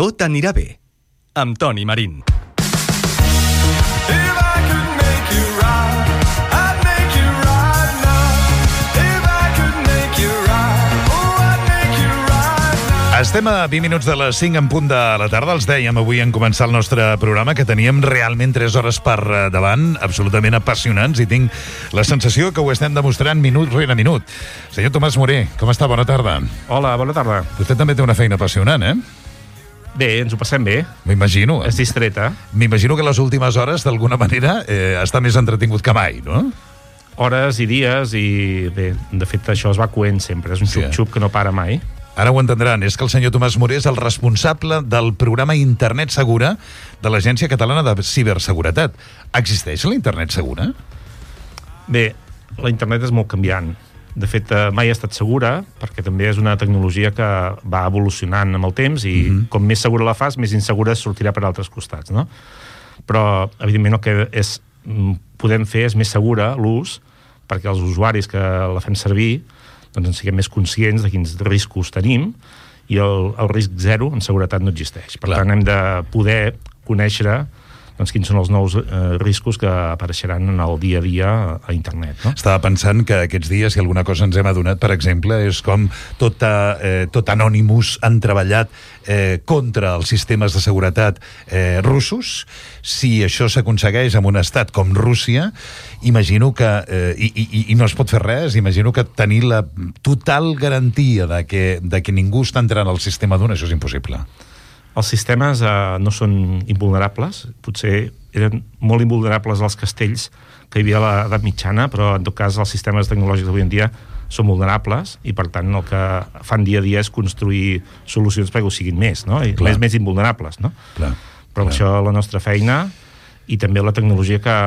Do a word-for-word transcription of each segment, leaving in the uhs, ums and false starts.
Tot anirà bé, amb Toni Marín. Estem a vint minuts de les cinc en punt de la tarda. Els dèiem avui en començar el nostre programa que teníem realment tres hores per davant, absolutament apassionants, i tinc la sensació que ho estem demostrant minut rere minut. Senyor Tomàs Moré, com està? Bona tarda. Hola, bona tarda. Vostè també té una feina apassionant, eh? Bé, ens ho passem bé. M'imagino. És distreta. M'imagino que les últimes hores, d'alguna manera, eh, està més entretingut que mai, no? Hores i dies i, bé, de fet, això es va coent sempre. És un Sí. xup-xup que no para mai. Ara ho entendran, és que el senyor Tomàs Moré és el responsable del programa Internet Segura de l'Agència Catalana de Ciberseguretat. Existeix la Internet Segura? Bé, la internet és molt canviant. De fet, eh, mai ha estat segura, perquè també és una tecnologia que va evolucionant amb el temps i mm-hmm. com més segura la fas, més insegura sortirà per altres costats, no? Però, evidentment, el que és, podem fer és més segura l'ús perquè els usuaris que la fem servir doncs en siguem més conscients de quins riscos tenim i el, el risc zero en seguretat no existeix. Per Clar. tant, hem de poder conèixer doncs, quins són els nous eh, riscos que apareixeran en el dia a dia a internet. No? Estava pensant que aquests dies, si alguna cosa ens hem adonat, per exemple, és com tot, eh, tot Anonymous han treballat eh, contra els sistemes de seguretat eh, russos. Si això s'aconsegueix en un estat com Rússia, imagino que, eh, i, i, i no es pot fer res, imagino que tenir la total garantia de que, de que ningú està entrant al sistema d'un, això és impossible. Els sistemes eh, no són invulnerables, potser eren molt invulnerables als castells que hi havia a l'edat mitjana, però en tot cas els sistemes tecnològics d'avui en dia són vulnerables i per tant el que fan dia a dia és construir solucions perquè ho siguin més, no? I més, més invulnerables, no? Clar, però clar. això la nostra feina i també la tecnologia que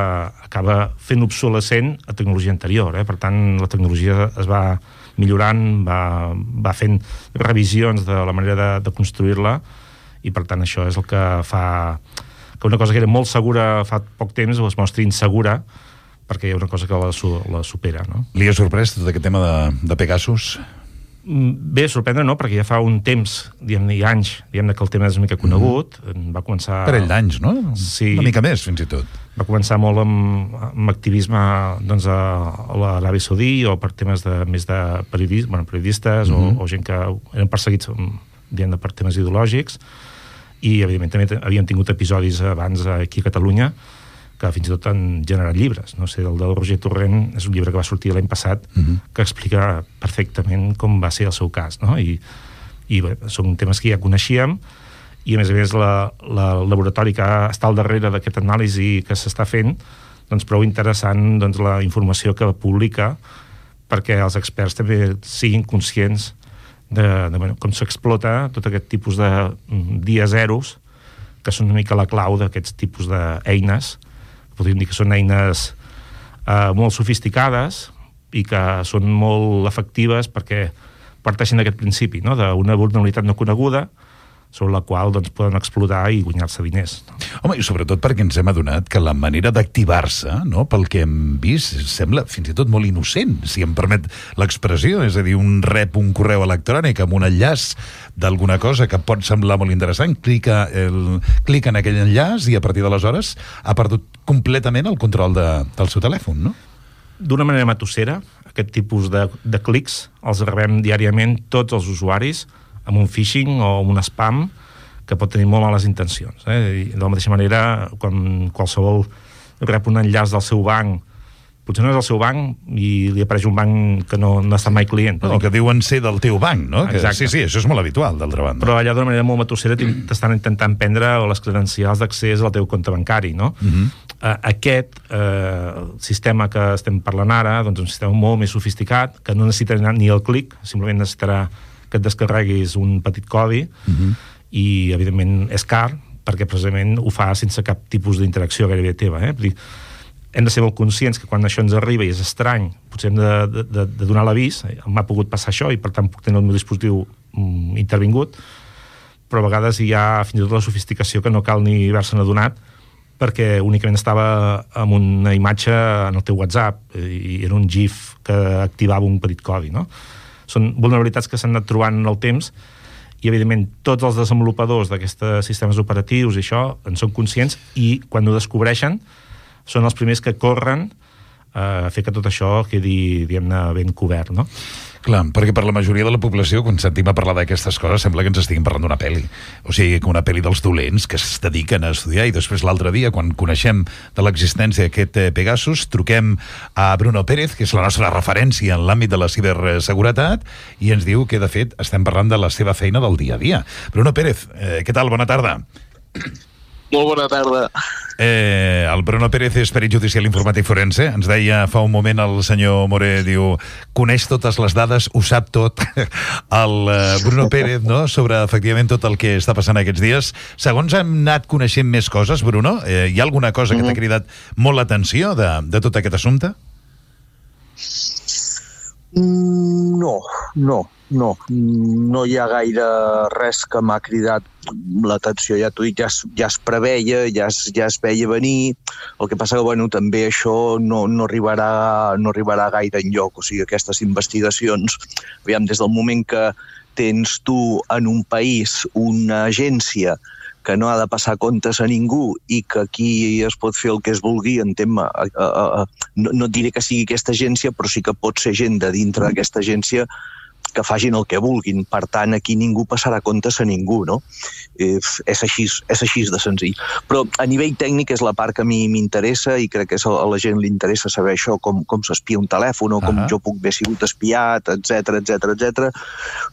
acaba fent obsolescent a tecnologia anterior, eh? Per tant la tecnologia es va millorant, va, va fent revisions de la manera de, de construir-la i per tant això és el que fa que una cosa que era molt segura fa poc temps es mostri insegura perquè hi ha una cosa que la, la supera, no? Li ha sorprès tot aquest tema de, de Pegasus? Bé, sorprendre no, perquè ja fa un temps, diguem-ne, i anys, diguem-ne que el tema és una mica conegut, mm. va començar... Parell d'anys, no? Sí. Una mica més, fins i tot. Va començar molt amb, amb activisme doncs, a, a l'Aràbia Saudí o per temes de, més de periodis, bueno, periodistes mm-hmm. o, o gent que eren perseguits diguem-ne, per temes ideològics i, evidentment, també havíem tingut episodis abans aquí a Catalunya que fins i tot han generat llibres. No sé, el del Roger Torrent és un llibre que va sortir l'any passat uh-huh. que explica perfectament com va ser el seu cas, no? I, i bé, són temes que ja coneixíem i, a més a més, la, la, el laboratori que està al darrere d'aquest anàlisi que s'està fent, doncs prou interessant doncs, la informació que publica perquè els experts també siguin conscients de, de bueno, com s'explota tot aquest tipus de dia zeros que són una mica la clau d'aquests tipus d'eines. Podríem dir que són eines eh, molt sofisticades i que són molt efectives perquè parteixen d'aquest principi, no? D'una vulnerabilitat no coneguda sobre la qual doncs, poden explotar i guanyar-se diners. No? Home, i sobretot perquè ens hem adonat que la manera d'activar-se, no, pel que hem vist, sembla fins i tot molt innocent, si em permet l'expressió, és a dir, un rep un correu electrònic amb un enllaç d'alguna cosa que pot semblar molt interessant, clica, el, clica en aquell enllaç i a partir d'aleshores ha perdut completament el control de, del seu telèfon, no? D'una manera matossera, aquest tipus de, de clics els rebem diàriament tots els usuaris amb un phishing o amb un spam que pot tenir molt males intencions. Eh? I de la mateixa manera, quan qualsevol rep un enllaç del seu banc, potser no és el seu banc i li apareix un banc que no, no ha estat mai client. No, que diuen ser del teu banc, no? Que, exacte. Sí, sí, això és molt habitual, d'altra banda. Però allà d'una manera molt matossera t'estan intentant prendre les credencials d'accés al teu compte bancari, no? Uh-huh. Uh, aquest uh, sistema que estem parlant ara, doncs un sistema molt més sofisticat, que no necessitarà ni el clic, simplement necessitarà que et descarreguis un petit codi uh-huh. i, evidentment, és car, perquè precisament ho fa sense cap tipus d'interacció gairebé teva. Eh? Dir, hem de ser molt conscients que quan això ens arriba i és estrany, potser hem de, de, de donar l'avís, m'ha pogut passar això i, per tant, puc tenir el meu dispositiu mm, intervingut, però a vegades hi ha fins i tot la sofisticació que no cal ni haver-se'n adonat perquè únicament estava amb una imatge en el teu WhatsApp i era un GIF que activava un petit codi, no? Són vulnerabilitats que s'han anat trobant en el temps i evidentment tots els desenvolupadors d'aquests sistemes operatius i això en són conscients, i quan ho descobreixen són els primers que corren a fer que tot això quedi, diguem-ne, ben cobert, no? Clar, perquè per la majoria de la població, quan sentim a parlar d'aquestes coses, sembla que ens estiguin parlant d'una pel·li. O sigui, que una pel·li dels dolents que es dediquen a estudiar, i després l'altre dia, quan coneixem de l'existència d'aquest Pegasus, truquem a Bruno Pérez, que és la nostra referència en l'àmbit de la ciberseguretat, i ens diu que, de fet, estem parlant de la seva feina del dia a dia. Bruno Pérez, eh, què tal? Bona tarda. Molt bona tarda. Eh, el Bruno Pérez és perit judicial informàtic forense. Ens deia fa un moment el senyor Moré, diu, coneix totes les dades, ho sap tot. El eh, Bruno Pérez, no?, sobre efectivament tot el que està passant aquests dies. Segons hem anat coneixent més coses, Bruno, eh, hi ha alguna cosa que t'ha cridat molt l'atenció de, de tot aquest assumpte? No, no, no. No hi ha gaire res que m'ha cridat l'atenció. Ja t'ho dic, ja es, ja es preveia, ja es, ja es veia venir. El que passa que, bueno, també això no, no, arribarà, no arribarà gaire enlloc. O sigui, aquestes investigacions, aviam, des del moment que tens tu en un país una agència que no ha de passar comptes a ningú i que aquí es pot fer el que es vulgui en tema... A, a, a, no, no et diré que sigui aquesta agència, però sí que pot ser gent de dintre d'aquesta agència que facin el que vulguin. Per tant, aquí ningú passarà comptes a ningú, no? Eh, és així, és així de senzill. Però a nivell tècnic és la part que a mi m'interessa, i crec que a la gent li interessa saber això, com, com s'espia un telèfon, o com uh-huh. jo puc haver sigut espiat, etcètera, etcètera, etcètera.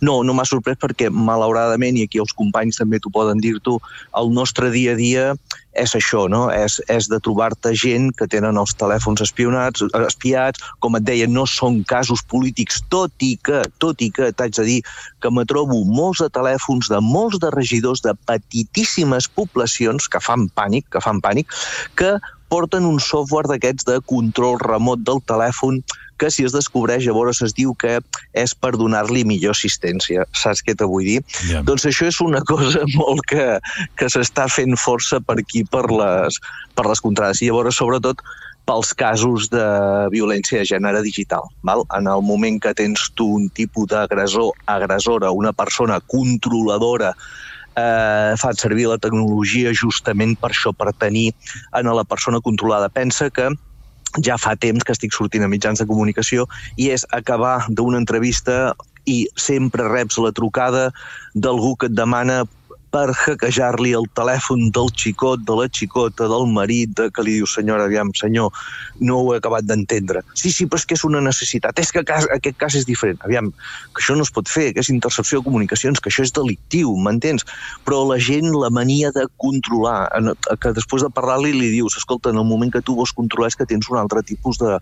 No, no m'ha sorprès perquè, malauradament, i aquí els companys també t'ho poden dir-t'ho, el nostre dia a dia és això, no? És, és de trobar-te gent que tenen els telèfons espionats, espiats, com et deia, no són casos polítics, tot i que, tot i que t'haig de dir que me trobo molts de telèfons de molts de regidors de petitíssimes poblacions que fan pànic, que fan pànic, que porten un software d'aquests de control remot del telèfon que si es descobreix llavors es diu que és per donar-li millor assistència. Saps què te vull dir? Yeah. Doncs això és una cosa molt que, que s'està fent força per aquí, per les, per les contrades. I llavors, sobretot, pels casos de violència de gènere digital. Val? En el moment que tens tu un tipus d'agressor, agressora, una persona controladora, eh, fan servir la tecnologia justament per això, per tenir en la persona controlada. Pensa que ja fa temps que estic sortint a mitjans de comunicació i és acabar d'una entrevista i sempre reps la trucada d'algú que et demana per hackejar-li el telèfon del xicot, de la xicota, del marit, de, que li diu, senyora, aviam, senyor, no ho he acabat d'entendre. Sí, sí, però és que és una necessitat. És que cas, aquest cas és diferent. Aviam, que això no es pot fer, que és intercepció de comunicacions, que això és delictiu, m'entens? Però la gent, la mania de controlar, que després de parlar-li li dius, escolta, en el moment que tu vols controlar és que tens un altre tipus de,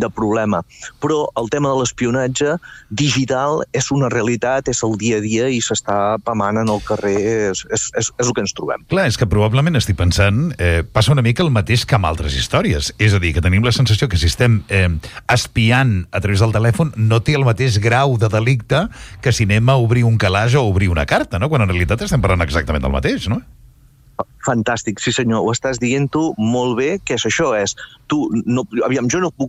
de problema. Però el tema de l'espionatge digital és una realitat, és el dia a dia i s'està pamant en el carrer. És, és, és, és el que ens trobem. Clar, és que probablement estic pensant, eh, passa una mica el mateix que amb altres històries. És a dir, que tenim la sensació que si estem eh, espiant a través del telèfon no té el mateix grau de delicte que si anem a obrir un calaix o obrir una carta, no? Quan en realitat estem parlant exactament del mateix, no? Fantàstic, sí senyor, ho estàs dient tu molt bé, que és això, és tu, no, aviam, jo no puc...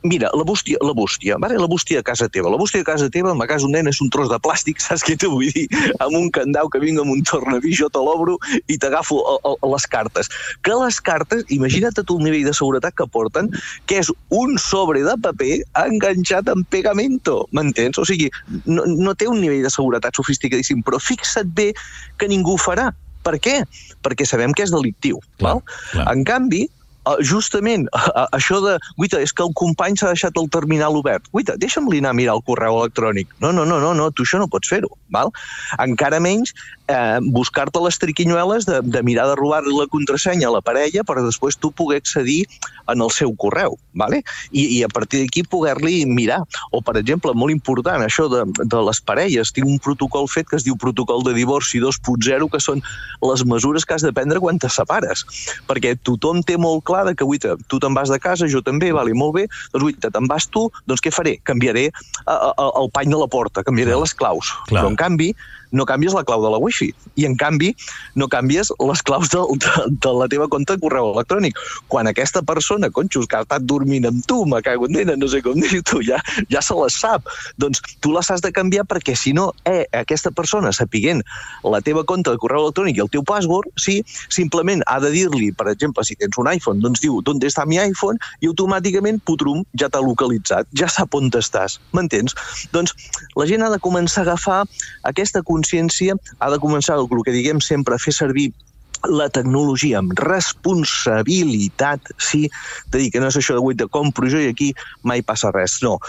Mira, la bústia, la bústia, vale? La bústia a casa teva, la bústia a casa teva, en la casa un nen és un tros de plàstic, saps què t'ho vull dir? Amb un candau que vinga amb un tornavís, jo te l'obro i t'agafo a, a, a les cartes. Que les cartes, imagina't tu el nivell de seguretat que porten, que és un sobre de paper enganxat amb pegamento, m'entens? O sigui, no, no té un nivell de seguretat sofisticadíssim, però fixa't bé que ningú ho farà. Per què? Perquè sabem que és delictiu. Clar, val? Clar. En canvi, justament això de, guaita, és que el company s'ha deixat el terminal obert. Guaita, deixa'm-li anar a mirar el correu electrònic. No, no, no, no, no, tu això no pots fer-ho. Val? Encara menys eh, buscar-te les triquinyueles de, de mirar de robar la contrasenya a la parella per després tu poder accedir en el seu correu. Vale? I, i a partir d'aquí poder-li mirar. O, per exemple, molt important, això de, de les parelles. Tinc un protocol fet que es diu protocol de divorci dos punt zero, que són les mesures que has de prendre quan te separes. Perquè tothom té molt clar de que, uita, tu te'n vas de casa, jo també, vale, molt bé, doncs, uita, te'n vas tu, doncs què faré? Canviaré a, a, el pany de la porta, canviaré Clar. les claus. Clar. Però, en canvi, no canvies la clau de la wifi. I, en canvi, no canvies les claus de, de, de la teva compte de correu electrònic. Quan aquesta persona, conxos, que ha estat dormint amb tu, me cago en dena, no sé com dir tu, ja, ja se les sap. Doncs tu les has de canviar perquè, si no, eh, aquesta persona, sapiguent la teva compte de correu electrònic i el teu password, sí, simplement ha de dir-li, per exemple, si tens un iPhone, doncs diu, d'on està mi iPhone? I automàticament, putrum, ja t'ha localitzat, ja sap on estàs, m'entens? Doncs la gent ha de començar a agafar aquesta consciència, ha de començar, el que diguem sempre, a fer servir la tecnologia amb responsabilitat, sí, de dir que no és això de guai de compro jo i aquí mai passa res, no.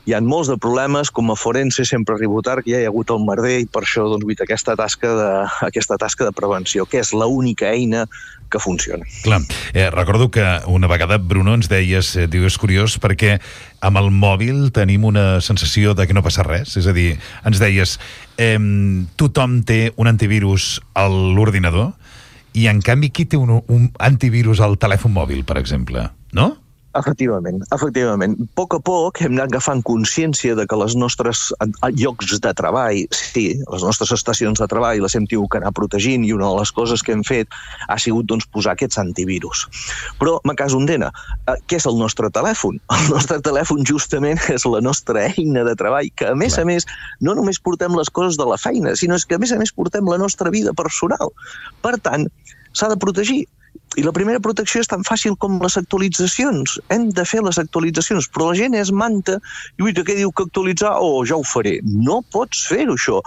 Hi ha molts de problemes, com a forense sempre arribo tard, que ja hi ha hagut el merder i per això doncs, aquesta, tasca de, aquesta tasca de prevenció, que és l'única eina que funciona. Clar, eh, recordo que una vegada, Bruno, ens deies, eh, diu, és curiós perquè amb el mòbil tenim una sensació de que no passa res, és a dir, ens deies, eh, tothom té un antivirus a l'ordinador, i, en canvi, qui té un, un antivirus al telèfon mòbil, per exemple? No? Efectivament, efectivament. A poc a poc hem anat agafant consciència de que les nostres llocs de treball, sí, les nostres estacions de treball les hem tingut que anar protegint i una de les coses que hem fet ha sigut doncs, posar aquests antivirus. Però, me caso en dena, què és el nostre telèfon? El nostre telèfon justament és la nostra eina de treball, que a més Clar. a més no només portem les coses de la feina, sinó que a més a més portem la nostra vida personal. Per tant, s'ha de protegir. I la primera protecció és tan fàcil com les actualitzacions. Hem de fer les actualitzacions, però la gent és manta i ui, què diu que actualitzar? Oh, ja ho faré. No pots fer-ho, això.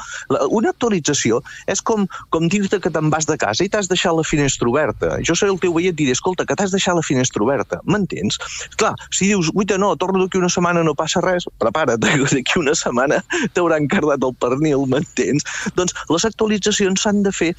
Una actualització és com, com dir-te que te'n vas de casa i t'has deixat la finestra oberta. Jo seré el teu veí i et diré, escolta, que t'has deixat la finestra oberta. M'entens? Clar, si dius, ui, no, torno d'aquí una setmana, no passa res, prepara't, d'aquí una setmana t'hauran cardat el pernil, m'entens? Doncs les actualitzacions s'han de fer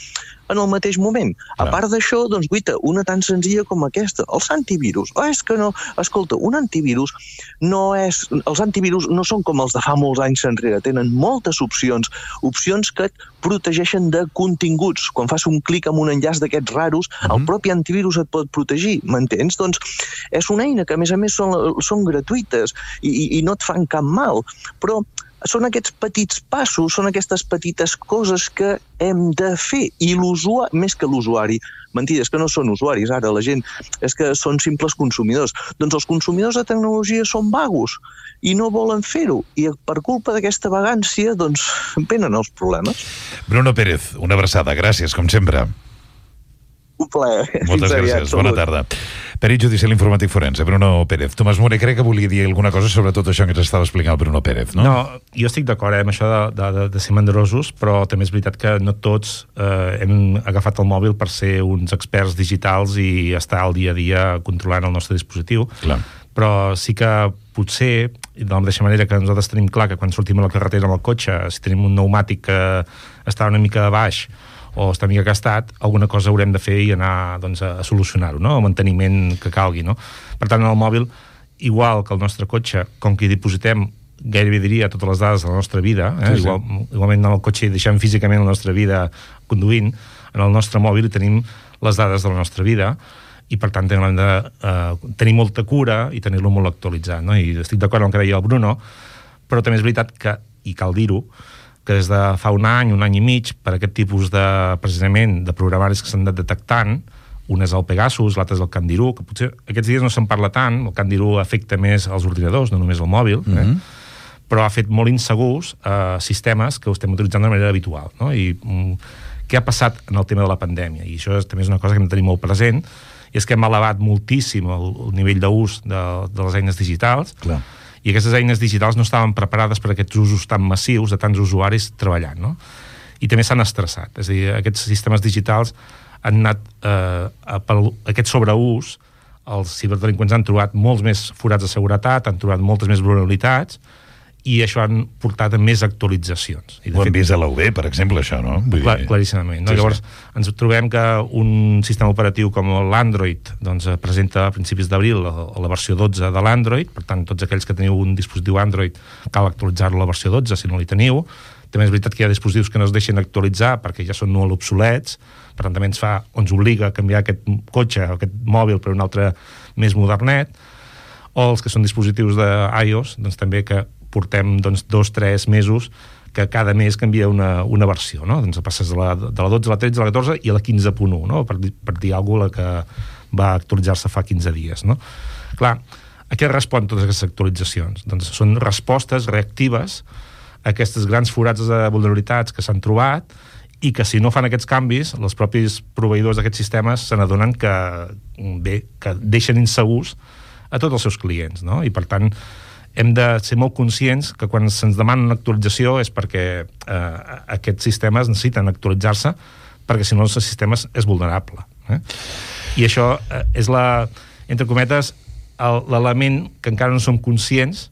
en el mateix moment. A part d'això, doncs, guita, una tan senzilla com aquesta, els antivirus. Oh, és que no, escolta, un antivirus no és... Els antivirus no són com els de fa molts anys enrere, tenen moltes opcions, opcions que et protegeixen de continguts. Quan fas un clic amb un enllaç d'aquests raros, mm-hmm. el propi antivirus et pot protegir, m'entens? Doncs és una eina que, a més a més, són, són gratuïtes i, i, i no et fan cap mal, però són aquests petits passos, són aquestes petites coses que hem de fer. I l'usuari, més que l'usuari, mentida, és que no són usuaris ara, la gent, és que són simples consumidors. Doncs els consumidors de tecnologia són vagos i no volen fer-ho. I per culpa d'aquesta vagància, doncs, venen els problemes. Bruno Pérez, una abraçada. Gràcies, com sempre. Un plaer. Moltes gràcies. Bona tarda. Perit judicial informàtic forense, Bruno Pérez. Tomàs Morer, crec que volia dir alguna cosa sobre tot això que ens estava explicant el Bruno Pérez, no? No, jo estic d'acord eh, amb això de, de, de ser mandrosos, però també és veritat que no tots eh, hem agafat el mòbil per ser uns experts digitals i estar al dia a dia controlant el nostre dispositiu. Clar. Però sí que potser, de la mateixa manera que nosaltres tenim clar que quan sortim a la carretera amb el cotxe, si tenim un pneumàtic que està una mica de baix o està mica gastat, alguna cosa haurem de fer i anar doncs, a solucionar-ho, no? El manteniment que calgui, no? Per tant, en el mòbil, igual que el nostre cotxe, com que hi dipositem gairebé diria totes les dades de la nostra vida, eh? Sí, sí. Igual, igualment en el cotxe hi deixem físicament la nostra vida conduint, en el nostre mòbil hi tenim les dades de la nostra vida i per tant hem de eh, tenir molta cura i tenir-lo molt actualitzat, no? I estic d'acord amb el que deia el Bruno, però també és veritat que, i cal dir-ho, que des de fa un any, un any i mig, per aquest tipus de, precisament, de programaris que s'han anat detectant, un és el Pegasus, l'altre és el Candiru, que potser aquests dies no se'n parla tant, el Candiru afecta més als ordinadors, no només al mòbil, eh? Mm-hmm. Però ha fet molt insegurs eh, sistemes que ho estem utilitzant de manera habitual, no? I mm, què ha passat en el tema de la pandèmia? I això és, també és una cosa que hem de tenir molt present, i és que hem elevat moltíssim el, el nivell d'ús de, de les eines digitals. Clar. I aquestes eines digitals no estaven preparades per a aquests usos tan massius de tants usuaris treballant, no? I també s'han estressat. És a dir, aquests sistemes digitals han anat, eh, per aquest sobreús, els ciberdelinqüents han trobat molts més forats de seguretat, han trobat moltes més vulnerabilitats, i això han portat a més actualitzacions. I ho hem fet, vist a l'U B, per exemple, això, no? Vull clar, dir... Claríssimament. No? Sí, Llavors, sí. ens trobem que un sistema operatiu com l'Android doncs, presenta a principis d'abril la, la versió dotze de l'Android, per tant, tots aquells que teniu un dispositiu Android cal actualitzar-lo a la versió dotze, si no li teniu. També és veritat que hi ha dispositius que no es deixen actualitzar perquè ja són molt obsolets, per tant, també ens fa, ens obliga a canviar aquest cotxe, aquest mòbil per un altre més modernet, o els que són dispositius d'iOS, doncs també que portem doncs, dos, tres mesos que cada mes canvia una, una versió, no? Doncs passes de la, de la dotze a la tretze, a la catorze i a la quinze punt u, no? Per, per dir alguna cosa, la que va actualitzar-se fa quinze dies, no? Clar, a què respon totes aquestes actualitzacions? Doncs són respostes reactives a aquests grans forats de vulnerabilitats que s'han trobat i que si no fan aquests canvis, els propis proveïdors d'aquests sistemes se n'adonen que, bé, que deixen insegurs a tots els seus clients, no? I per tant hem de ser molt conscients que quan se'ns demana una actualització és perquè eh, aquests sistemes necessiten actualitzar-se, perquè si no el sistema és vulnerable. Eh? I això eh, és la, entre cometes, l'element que encara no som conscients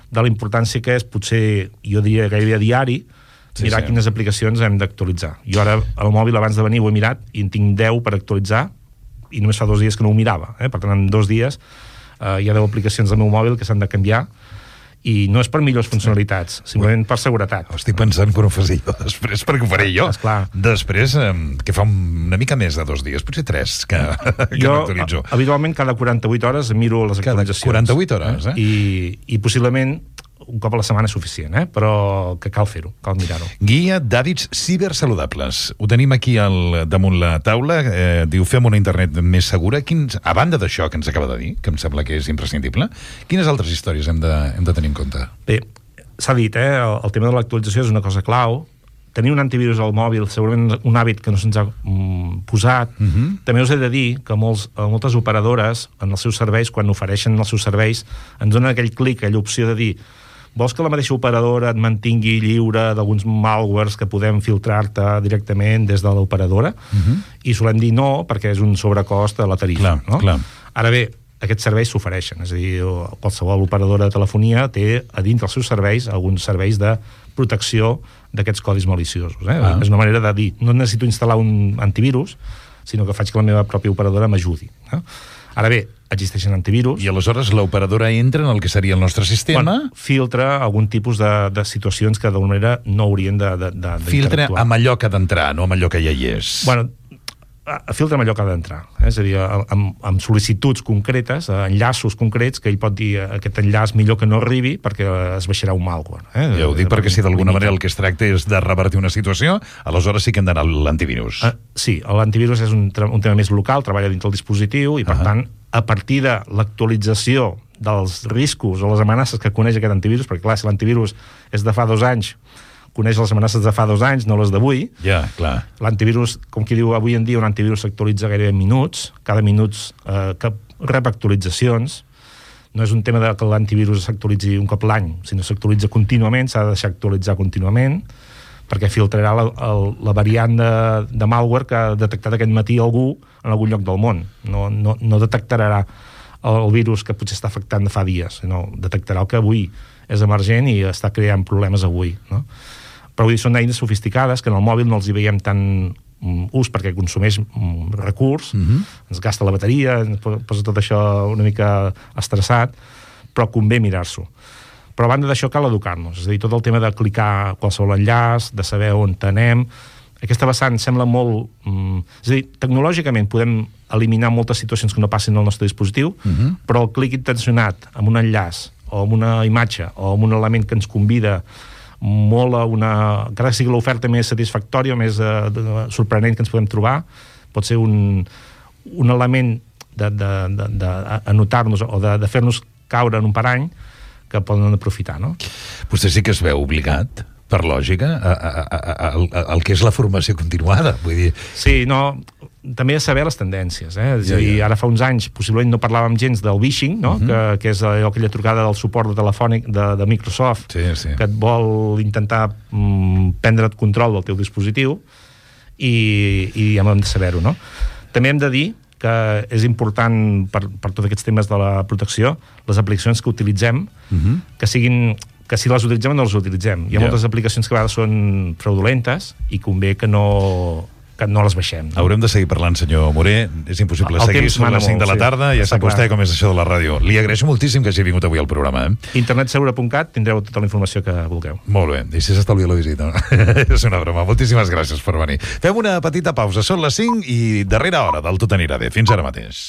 de la importància que és, potser, jo diria gairebé a diari, sí, mirar sí. quines aplicacions hem d'actualitzar. Jo ara, al mòbil, abans de venir, ho he mirat i en tinc deu per actualitzar i només fa dos dies que no ho mirava. Eh? Per tant, en dos dies eh, hi ha deu aplicacions del meu mòbil que s'han de canviar i no és per millors funcionalitats, simplement per seguretat. Estic pensant que ho faré jo després, perquè ho faré jo. Esclar. Després, que fa una mica més de dos dies, potser tres, que, que jo, m'actualitzo. Habitualment, cada quaranta-vuit hores miro les actualitzacions. Cada quaranta-vuit hores, eh? I, i possiblement un cop a la setmana és suficient, eh? Però que cal fer-ho, cal mirar-ho. Guia d'hàbits cibersaludables. Ho tenim aquí al, damunt la taula. Eh, diu, fem una internet més segura. Quins, a banda d'això que ens acaba de dir, que em sembla que és imprescindible, quines altres històries hem de, hem de tenir en compte? Bé, s'ha dit, eh? El, el tema de l'actualització és una cosa clau. Tenir un antivirus al mòbil, segurament un hàbit que no se'ns ha mm, posat. Uh-huh. També us he de dir que molts, moltes operadores, en els seus serveis, quan ofereixen els seus serveis, ens donen aquell clic, aquella opció de dir vols que la mateixa operadora et mantingui lliure d'alguns malwares que podem filtrar-te directament des de l'operadora? Uh-huh. I solem dir no, perquè és un sobrecost a la tarifa. Clar, no? clar. Ara bé, aquests serveis s'ofereixen, és a dir, qualsevol operadora de telefonia té a dins dels seus serveis alguns serveis de protecció d'aquests codis maliciosos. Eh? Ah. És una manera de dir, no necessito instal·lar un antivirus, sinó que faig que la meva pròpia operadora m'ajudi. Eh? Ara bé, existeixen antivirus. I aleshores l'operadora entra en el que seria el nostre sistema... Bueno, filtra algun tipus de, de situacions que d'alguna manera no haurien de, de, de filtra amb allò que ha d'entrar, no amb allò que ja hi és. Bueno, filtra amb allò que ha d'entrar. Eh? És a dir, amb, amb sol·licituds concretes, enllaços concrets, que ell pot dir aquest enllaç millor que no arribi perquè es baixarà un malware. Eh? Ja ho dic perquè si d'alguna manera el que es tracta és de revertir una situació, aleshores sí que hem d'anar a l'antivirus. Uh, sí, l'antivirus és un, un tema més local, treballa dins del dispositiu i per uh-huh. tant a partir de l'actualització dels riscos o les amenaces que coneix aquest antivirus, perquè clar, si l'antivirus és de fa dos anys, coneix les amenaces de fa dos anys, no les d'avui. Ja, clar. L'antivirus, com qui diu, avui en dia un antivirus s'actualitza gairebé en minuts, cada minut eh, que rep actualitzacions. No és un tema de que l'antivirus s'actualitzi un cop l'any, sinó s'actualitza contínuament, s'ha de deixar actualitzar contínuament, perquè filtrarà la, el, la variant de, de malware que ha detectat aquest matí algú en algun lloc del món. No, no, no detectarà el, el virus que potser està afectant de fa dies, sinó detectarà el que avui és emergent i està creant problemes avui, no? Però vull dir, són eines sofisticades que en el mòbil no els hi veiem tant um, ús perquè consumeix um, recurs, uh-huh. ens gasta la bateria, ens posa tot això una mica estressat, però convé mirar-s'ho. Però a banda d'això cal educar-nos, és a dir, tot el tema de clicar qualsevol enllaç, de saber on anem, aquesta vessant sembla molt... Um, és a dir, tecnològicament podem eliminar moltes situacions que no passin al nostre dispositiu, uh-huh. però el clic intencionat amb un enllaç o amb una imatge o amb un element que ens convida molt a una... encara que sigui l'oferta més satisfactòria o més eh, sorprenent que ens podem trobar, pot ser un, un element d'anotar-nos o de, de fer-nos caure en un parany que poden aprofitar, no? Vostè sí que es veu obligat, per lògica, a, a, a, a, a, al que és la formació continuada, vull dir... Sí, no... També és saber les tendències, eh? És a dir, ara fa uns anys possiblement no parlàvem gens del phishing, no? Uh-huh. que, que és allò, aquella trucada del suport de telefònic de, de Microsoft, sí, sí. que et vol intentar mm, prendre't control del teu dispositiu i, i hem de saber-ho, no? També hem de dir que és important per, per tots aquests temes de la protecció, les aplicacions que utilitzem, uh-huh. que siguin... que si les utilitzem o no les utilitzem. Hi ha yeah. moltes aplicacions que a vegades són fraudulentes i convé que no... que no les baixem. No? Haurem de seguir parlant, senyor Morer. És impossible el seguir. Són les cinc de la tarda, sí. Ja sap vostè com és això de la ràdio. Li agraeixo moltíssim que hagi vingut avui al programa. Eh? internet segura punt cat, tindreu tota la informació que vulgueu. Molt bé, i si s'estalvia la visita. És una broma. Moltíssimes gràcies per venir. Fem una petita pausa. Són les cinc i darrera hora del Tot anirà bé. Fins ara mateix.